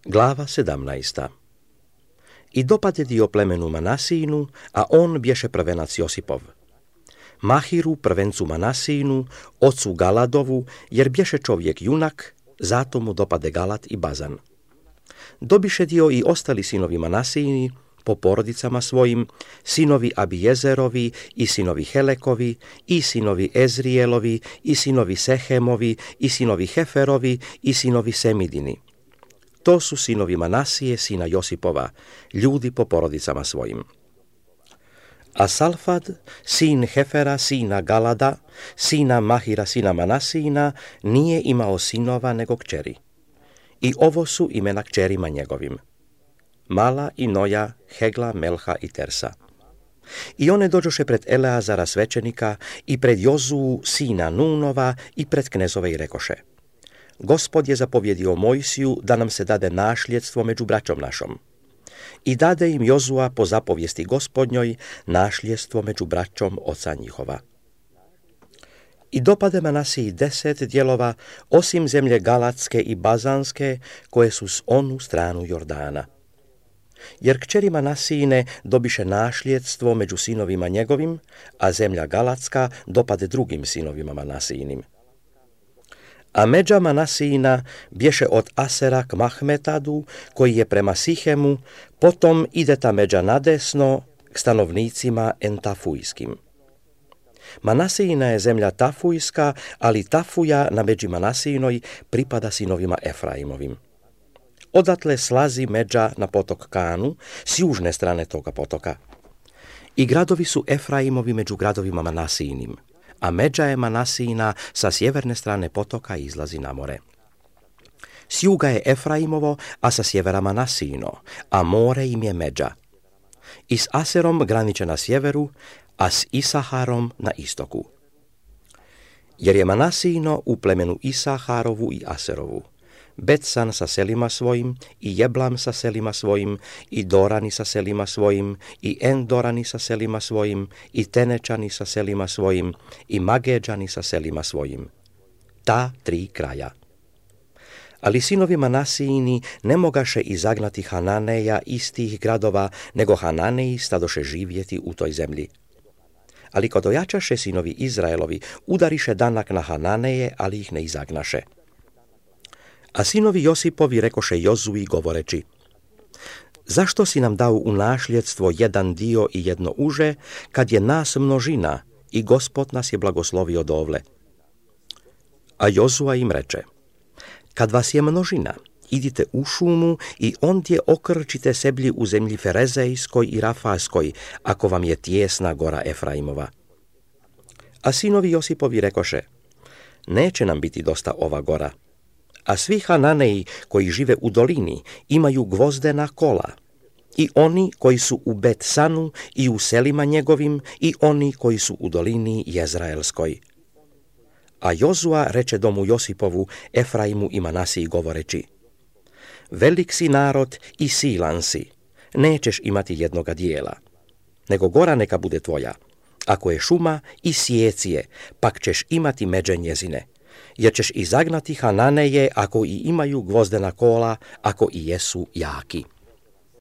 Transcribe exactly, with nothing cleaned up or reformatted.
Glava sedamnaesta. I dopade dio plemenu Manasínu, a on bješe prvenac Josipov. Mahiru, prvencu Manasínu, ocu Galadovu, jer bješe čovjek junak, zato mu dopade Galat i Bazan. Dobiše dio i ostali sinovi Manasíni, po porodicama svojim, sinovi Abijezerovi i sinovi Helekovi, i sinovi Ezrijelovi, i sinovi Sehemovi, i sinovi Heferovi, i sinovi Semidini. To su sinovi Manasije, sina Josipova, ljudi po porodicama svojim. A Salfad, sin Hefera, sina Galada, sina Mahira, sina Manasina, nije imao sinova nego kćeri. I ovo su imena kćerima njegovim: Mala i Noja, Hegla, Melha i Tersa. I one dođoše pred Eleazara svećenika i pred Jozuu, sina Nunova, i pred knezove i rekoše: Gospod je zapovjedio Mojsiju da nam se dade našljedstvo među braćom našom. I dade im Jozua po zapovijesti Gospodnjoj našljedstvo među braćom oca njihova. I dopade Manasiji deset dijelova, osim zemlje Galatske i Bazanske, koje su s onu stranu Jordana. Jer kćeri Manasijine dobiše našljedstvo među sinovima njegovim, a zemlja Galatska dopade drugim sinovima Manasijinim. A međa Manasijina bješe od Asera k Mahmetadu, koji je prema Sihemu, potom ide ta međa nadesno k stanovnicima Entafujskim. Manasijina je zemlja Tafujska, ali Tafuja na međi Manasijinoj pripada sinovima Efraimovim. Odatle slazi međa na potok Kanu s južne strane toga potoka. I gradovi su Efraimovi među gradovima Manasijinim, a međa je Manasijina sa sjeverne strane potoka izlazi na more. S juga je Efraimovo, a sa sjevera Manasijino, a more im je međa. I s Aserom graniče na sjeveru, a s Isaharom na istoku. Jer je Manasijino u plemenu Isaharovu i Aserovu, Betsan sa selima svojim, i Jeblam sa selima svojim, i Dorani sa selima svojim, i Endorani sa selima svojim, i Tenečani sa selima svojim, i Mageđani sa selima svojim. Ta tri kraja. Ali sinovi Manasijini ne mogaše izagnati Hananeja iz tih gradova, nego Hananeji stadoše živjeti u toj zemlji. Ali kod ojačaše sinovi Izraelovi, udariše danak na Hananeje, ali ih ne izagnaše. A sinovi Josipovi rekoše Jozui govoreći: Zašto si nam dao u našljedstvo jedan dio i jedno uže, kad je nas množina i Gospod nas je blagoslovio dovle? A Jozua im reče: Kad vas je množina, idite u šumu i ondje okrčite seblji u zemlji Ferezejskoj i Rafaskoj, ako vam je tijesna gora Efraimova. A sinovi Josipovi rekoše: Neće nam biti dosta ova gora. A svi Hananeji koji žive u dolini imaju gvozdena kola, i oni koji su u Betsanu i u selima njegovim, i oni koji su u dolini Jezraelskoj. A Jozua reče domu Josipovu, Efraimu i Manasiji govoreći: Velik si narod i silan si, nećeš imati jednoga dijela, nego gora neka bude tvoja. Ako je šuma, i sjeci je, pak ćeš imati međe njezine. Jer ćeš izagnati Hananeje ako i imaju gvozdena kola, ako i jesu jaki.